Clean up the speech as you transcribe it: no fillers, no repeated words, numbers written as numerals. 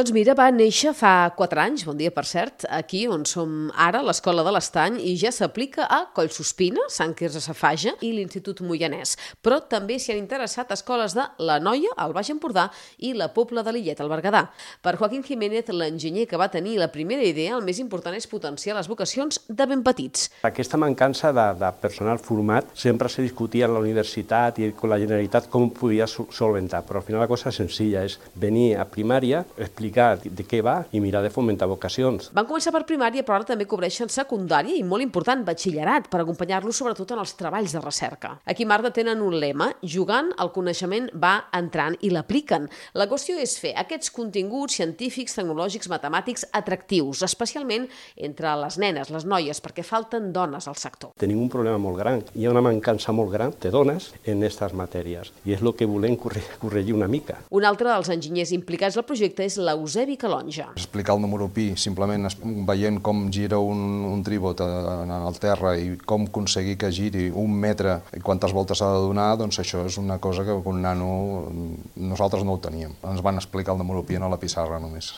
Doncs mira, va néixer fa 4 anys, bon dia per cert, aquí on som ara, l'Escola de l'Estany, i ja s'aplica a Collsuspina, Sant Quirze Safaja i l'Institut Moianès. Però també s'hi han interessat escoles de la Noia, al Baix Empordà, i la Pobla de Lillet, al Berguedà. Per Joaquín Jiménez, l'enginyer que va tenir la primera idea, el més important és potenciar les vocacions de ben petits. Aquesta mancança de personal format sempre se discutia en la universitat i con la Generalitat com podia solventar, però al final la cosa és senzilla, és venir a primària, explicar de què va i mirar de fomentar vocacions. Van començar per primària, però ara també cobreixen secundària i, molt important, batxillerat, per acompanyar-los sobretot en els treballs de recerca. Aquí a Marta tenen un lema: jugant, el coneixement va entrant i l'apliquen. La qüestió és fer aquests continguts científics, tecnològics, matemàtics atractius, especialment entre les nenes, les noies, perquè falten dones al sector. Tenim un problema molt gran, hi ha una mancança molt gran de dones en aquestes matèries i és el que volem corregir una mica. Un altre dels enginyers implicats al projecte és l'Eusebi Calonja. Explicar el número pi, simplement veient com gira un tribot en el terra i com aconseguir que giri 1 metre i quantes voltes s'ha de donar, doncs això és una cosa que un nano nosaltres no ho teníem. Ens van explicar el número pi a la pissarra només.